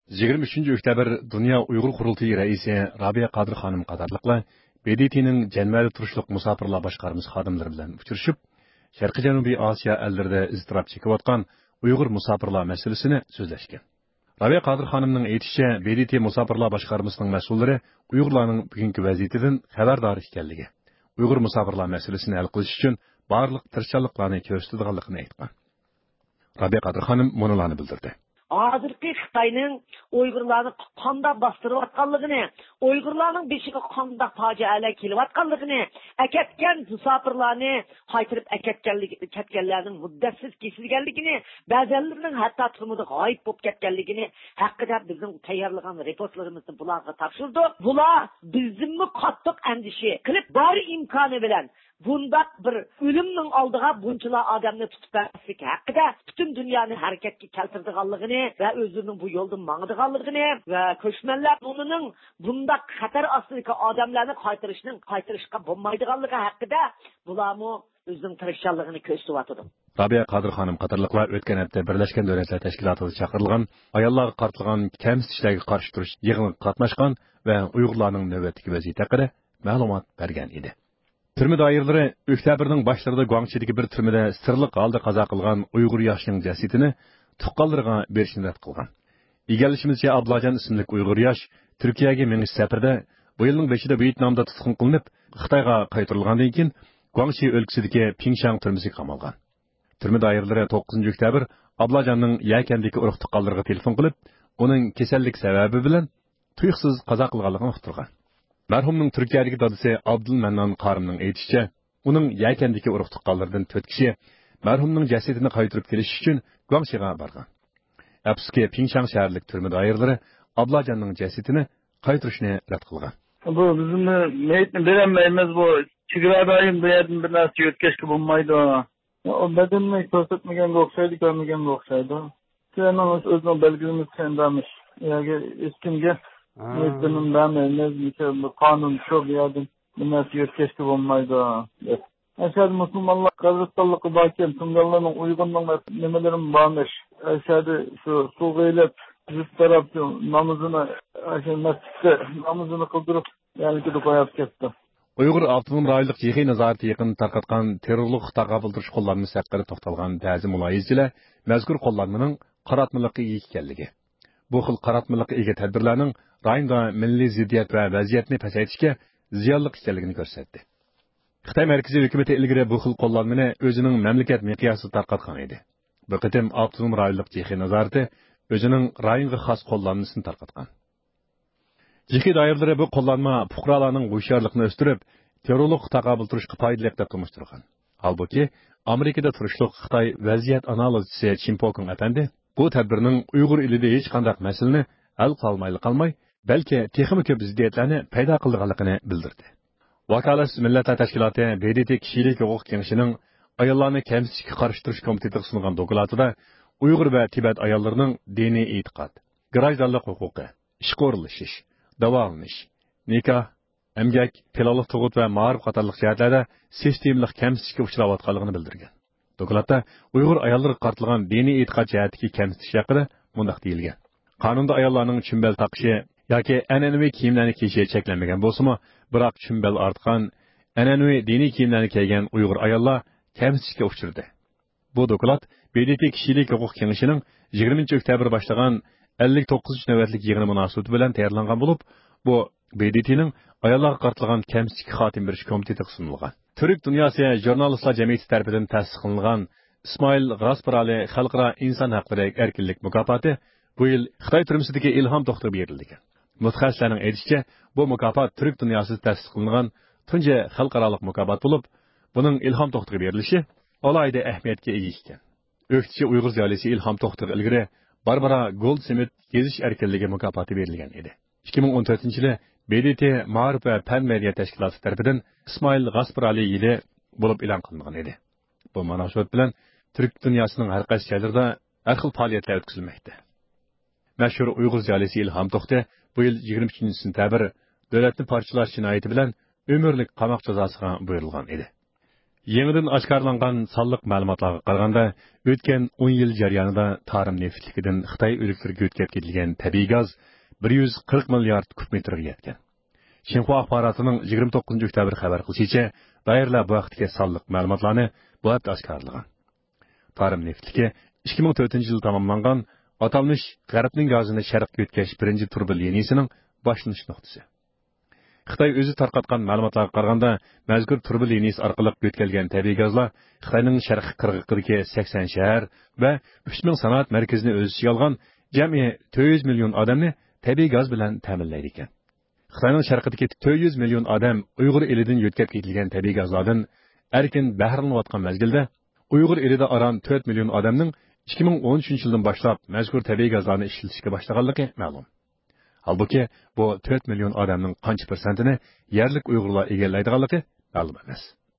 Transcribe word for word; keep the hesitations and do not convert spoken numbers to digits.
يىگىرمە ئۈچىنچى ئۆكتەبىر دۇنيا ئۇيغۇر قۇرۇلتىيى رەئىسى رابىيە قادىر خانىم قاتارلىقلار ب د ت نىڭ جەنۋەدە تۇرۇشلۇق مۇساپىرلار باشقارمىسى خادىملىرى بىلەن ئۇچرىشىپ، شەرقىي جەنۇبىي ئاسىيا ئەللىرىدە ئىزتىراپ چېكىۋاتقان ئۇيغۇر مۇساپىرلار مەسىلىسىنى سۆزلەشكەن. رابىيە قادىر خانىمنىڭ ئېيتىشىچە، ب د ت مۇساپىرلار باشقارمىسىنىڭ مەسئۇللىرى ئۇيغۇرلارنىڭ بۈگۈنكى ۋەزىيىتىدىن خەۋەردار ئىكەنلىكى، ئۇيغۇر مۇساپىرلار مەسىلىسىنى ھەل قىلىش ئۈچۈن بارلىق تىرىشچانلىقلارنى كۆرسىتىدىغانلىقىنى ئېيتقان. رابىيە قادىر خانىم مۇنۇلارنى بىلدۈردى. ھازىرقى خىتاينىڭ ئۇيغۇرلارنى قانداق باستۇرۇۋاتقانلىقىنى، ئۇيغۇرلارنىڭ بېشىغا قانداق پاجىئەلەر كېلىۋاتقانلىقىنى، ئەكەتكەن مۇساپىرلارنى قايتۇرۇپ ئەكەتكەنلىك-، كەتكەنلەرنىڭ مۇددەتسىز كېسىلگەنلىكىنى، بەزەنلىرىنىڭ ھەتتا تۈرمىدە غايىب بولۇپ كەتكەنلىكىنى ھەققىدە بىزنىڭ تەييارلىغان رېپورتلىرىمىزنى بۇلارغا تاپشۇردۇق. بۇلار بىزدىنمۇ قاتتىق ئەندىشە قىلىپ، بار ئىمكانى بىلەن بۇنداق بىر ئۆلۈمنىڭ ئالدىغا بۇنچىلا ئادەمنى تۇتۇپ بەرمەسلىك ھەققىدە پۈتۈن دۇنيانى ھەرىكەتكە كەلتۈرىدىغانلىقىنى ۋە ئۆزلىرىنىڭ بۇ يولدا ماڭىدىغانلىقىنى ۋە كۆچمەنلەر ئورنىنىڭ بۇنداق خەتەر ئاستىدىكى ئادەملەرنى قايتۇرۇشنىڭ، قايتۇرۇشقا بولمايدىغانلىقى ھەققىدە بۇلارمۇ ئۆزىنىڭ تىرىشچانلىقىنى كۆرسىتىۋاتىدۇ. رابىيە قادىر خانىم قاتارلىقلار ئۆتكەن ھەپتە بىرلەشكەن دۆلەتلەر تەشكىلاتىدا چاقىرىلغان ئاياللارغا قارىتىلغان كەمسىتىشلەرگە قارشى تۇرۇش يىغىنىغا قاتناشقان ۋە ئۇيغۇرلارنىڭ نۆۋەتتىكى ۋەزىيىتى ھەققىدە مەلۇمات بەرگەن ئىدى. تۈرمە دائىرىلىرى ئۆكتەبىرنىڭ باشلىرىدا گۇاڭشىدىكى بىر تۈرمىدە سىرلىق ھالدا قازا قىلغان ئۇيغۇر ياشىنىڭ جەسىتىنى تۇغقانلىرىغا بېرىشنى رەت قىلغان. ئىگىلىشىمىزچە، ئابلاجان ئىسىملىك ئۇيغۇر ياش تۈركىيەگە مېڭىش سەپىرىدە بۇ يىلنىڭ بېشىدا ۋيېتنامدا تۇتقۇن قىلىنىپ، خىتايغا قايتۇرۇلغاندىن كېيىن، گۇاڭشى ئۆلكىسىدىكى پىڭشاڭ تۈرمىسىگە قامالغان. تۈرمە دائىرىلىرى توققۇزىنچى ئۆكتەبىر ئابلاجاننىڭ يەكەندىكى ئۇرۇق تۇغقانلىرىغا تېلېفون قىلىپ، ئۇنىڭ كېسەللىك سەۋەبى بىلەن تۇيۇقسىز قازا قىلغانلىقىنى ئۇقتۇرغان. مەرھۇمنىڭ تۈركىيەدىكى دادىسى ئابدۇلمەننان قارىمنىڭ ئېيتىشىچە، ئۇنىڭ يەكەندىكى ئۇرۇق تۇغقانلىرىدىن تۆت كىشى مەرھۇمنىڭ جەسىتىنى قايتۇرۇپ كېلىش ئۈچۈن گۇاڭشىغا بارغان. ئەپسۇسكى، پىڭشاڭ شەھەرلىك تۈرمە دائىرىلىرى ئابلاجاننىڭ جەسىتىنى قايتۇرۇشنى رەت قىلغان. بۇ بىزمۇ مېيىتنى بېرەلمەيمىز، بۇ چېگرا رايون، بۇ يەردىن بىر نەرسە يۆتكەشكە بولمايدۇ. ئۇ بەدىنىنى كۆرسەتمىگەنگە ئوخشايدۇ، كۆرمىگەنگە ئوخشايدۇ. شۇنىڭ ئۆزىنىڭ بەلگىلىمىسى ئەندامىش. ياكى ھېچكىمگە ھېچ بىر نېمە بەرمەيمىز، بۇ قانۇن شۇ، بۇ يەردىن بىر نەرسە يۆتكەشكە بولمايدۇ، دەپ. ئەشەدە مۇسۇلمانلار قەبرىستانلىقى باركەن، تۇڭگانلارنىڭ ئۇيغۇرنىڭ نېمىلىرىمۇ بارمىش. ئەشەدە شۇ سۇغا ئېلىپ، يۈز تەرەپ نامىزىنى، ئاشۇ مەسچىتتە نامىزىنى قىلدۇرۇپ، يەنىكىدە قويۇپ كەتتى. ئۇيغۇر ئاپتونوم رايونلۇق جىخېي نازارىتى يېقىندا تارقاتقان تېررورلۇققا تاقابىل تۇرۇش قوللانمىسى ھەققىدە توختالغان بەزى مۇلاھىزىچىلەر مەزكۇر قوللانمىنىڭ قاراتمىلىققا ئىگە ئىكەنلىكى، بۇ خىل قاراتمىلىققا ئىگە تەدبىرلەرنىڭ رايوندا مىللىي زىددىيەت ۋە ۋەزىيەتنى پەسەيتىشكە زىيانلىق ئىكەنلىكىنى كۆرسەتتى. خىتاي مەركىزىي ھۆكۈمىتى ئىلگىرى بۇ خىل قوللانمىنى ئۆزىنىڭ مەملىكەت مىقياسىدا تارقاتقان ئىدى. بۇ قېتىم ئاپتونوم رايونلۇق جىخېي نازارىتى ئۆزىنىڭ رايونغا خاس قوللانمىسىنى تارقاتقان. جىخېي دائىرىلىرى بۇ قوللانما پۇقرالارنىڭ ھوشيارلىقىنى ئۆستۈرۈپ، تېررورلۇققا تاقابىل تۇرۇشقا پايدىلىق دەپ تونۇشتۇرغان. ھالبۇكى، ئامېرىكىدا تۇرۇشلۇق خىتاي ۋەزىيەت ئانالىزچىسى چىن پوكۇڭ ئەپەندى بۇ تەدبىرنىڭ ئۇيغۇر ئېلىدە ھېچقانداق مەسىلىنى ھەل قىلالمايلا قالماي، بەلكى تېخىمۇ كۆپ زىددىيەتلەرنى پەيدا قىلىدىغانلىقىنى بىلدۈردى. ۋاكالەتسىز مىللەتلەر تەشكىلاتى ب د ت كىشىلىك ھوقۇق كېڭىشىنىڭ ئاياللارنى كەمسىتىشكە قارشى تۇرۇش كومىتېتىغا سۇنغان دوكلاتىدا ئۇيغۇر ۋە تىبەت ئاياللىرىنىڭ دىنىي ئېتىقاد، گىراژدانلىق ھوقۇقى، ئىشقا ئورۇنلىشىش، داۋالىنىش، نىكاھ، ئەمگەك، پىلانلىق تۇغۇت ۋە مائارىپ قاتارلىق جەھەتلەردە سىستېمىلىق كەمسىتىشكە ئۇچراۋاتقانلىقىنى بىلدۈرگەن. دوكلاتتا ئۇيغۇر ئاياللىرىغا قارىتىلغان دىنىي ئېتىقاد جەھەتتىكى كەمسىتىش ھەققىدە مۇنداق دېيىلگەن: قانۇندا ئاياللارنىڭ چۈمبەل تاقىشى ياكى ئەنئەنىۋى كىيىملەرنى كىيىشى چەكلەنمىگەن بولسىمۇ، بىراق چۈمبەل ئارتقان، ئەنئەنىۋى دىنىي كىيىملەرنى كىيگەن ئۇيغۇر ئاياللار كەمسىتىشكە ئۇچرىدى. بۇ دوكلات ب د ت كىشىلىك ھوقۇق كېڭىشىنىڭ يىگىرمىنچى ئۆكتەبىر باشلىغان ئەللىك توققۇزىنچى نۆۋەتلىك يىغىنى مۇناسىۋىتى بىلەن تەييارلانغان بولۇپ، بۇ ب د ت نىڭ ئاياللارغا قارىتىلغان كەمسىتىشكە خاتىمە بېرىش كومىتېتىغا سۇنۇلغان. تۈرك دۇنياسى ژۇرنالىستلار جەمئىيىتى تەرىپىدىن تەسىس قىلىنغان ئىسمائىل غاسپىرالى خەلقئارا ئىنسان ھەقلىرى ئەركىنلىك مۇكاپاتى بۇ يىل خىتاي تۈرمىسىدىكى ئىلھام توختىغا بېرىلگەن. مۇتەخەسسىسلەرنىڭ ئېيتىشىچە، بۇ مۇكاپات تۈرك دۇنياسىدا تەسىس قىلىنغان تۇنجى خەلقئارالىق مۇكاپات بولۇپ، بۇنىڭ ئىلھام توختىغا بېرىلىشى ئالاھىدە ئەھمىيەتكە ئىگە ئىكەن. ئۆكتىچى ئۇيغۇر زىيالىيسى ئىلھام توختىغا ئىلگىرى باربارا گولدسمىت يېزىش ئەركىنلىكى مۇكاپاتى بېرىلگەن ئىدى. ئىككى مىڭ ئون تۆتىنچى يىلى ب د ت مائارىپ ۋە پەن مەدەنىيەت تەشكىلاتى تەرىپىدىن ئىسمائىل غاسپىرالى يىلى بولۇپ ئېلان قىلىنغان ئىدى. بۇ مۇناسىۋەت بىلەن تۈرك دۇنياسىنىڭ ھەر قايسى جايلىرىدا ھەر خىل پائالىيەتلەر ئۆتكۈزۈلمەكتە. مەشھۇر ئۇيغۇر زىيالىيسى ئىلھام توختى بۇ يىل يىگىرمە ئۈچىنچى سېنتەبىر دۆلەتنى پارچىلاش جىنايىتى بىلەن ئۆمۈرلۈك قاماق جازاسىغا بۇيرۇلغان ئىدى. يېڭىدىن ئاشكارىلانغان سانلىق مەلۇماتلارغا قارىغاندا، ئۆتكەن ئون يىل جەريانىدا تارىم نېفىتلىكىدىن خىتاي ئۆلكىلىرىگە يۆتكەپ كېتىلگەن تەبىئىي گاز بىر يۈز قىرىق مىليارد كۇب مېتىرغا يەتكەن. شىنخۇا ئاخباراتىنىڭ يىگىرمە توققۇزىنچى ئۆكتەبىر خەۋەر قىلىشىچە، دائىرىلەر بۇ ھەقتىكى سانلىق مەلۇماتلارنى بۇ ھەپتە ئاشكارىلىغان. تارىم نېفىتلىكى ئىككى مىڭ تۆتىنچى يىلى تاماملانغان ئاتالمىش غەربنىڭ گازىنى شەرققە يۆتكەش بىرىنچى تۇرۇبا لىنىيىسىنىڭ باشلىنىش نۇقتىسى. خىتاي ئۆزى تارقاتقان مەلۇماتلارغا قارىغاندا، مەزكۇر تۇرۇبا لىنىيىسى ئارقىلىق يۆتكەلگەن تەبىئىي گازلار خىتاينىڭ شەرقىي قىرغىقىدىكى سەكسەن شەھەر ۋە ئۈچ مىڭ سانائەت مەركىزىنى ئۆز ئىچىگە ئالغان جەمئىي تۆت يۈز مىليون ئادەمنى تەبىئىي گاز بىلەن تەمىنلەيدىكەن. خىتاينىڭ شەرقىدىكى تۆت يۈز مىليون ئادەم ئۇيغۇر ئېلىدىن يۆتكەپ كېتىلگەن تەبىئىي گازلاردىن ئەركىن بەھرىلىنىۋاتقان مەزگىلدە، ئۇيغۇر ئېلىدە ئاران تۆت مىليون ئادەمنىڭ ئىككى مىڭ ئون ئۈچىنچى يىلدىن باشلاپ مەزكۇر تەبىئىي گازلارنى ئىشلىتىشكە باشلىغانلىقى مەلۇم. ھالبۇكى، بۇ تۆت مىليون ئادەمنىڭ قانچە پىرسەنتىنى يەرلىك ئۇيغۇرلار ئىگىلەيدىغانلىقى مەلۇم ئەمەس.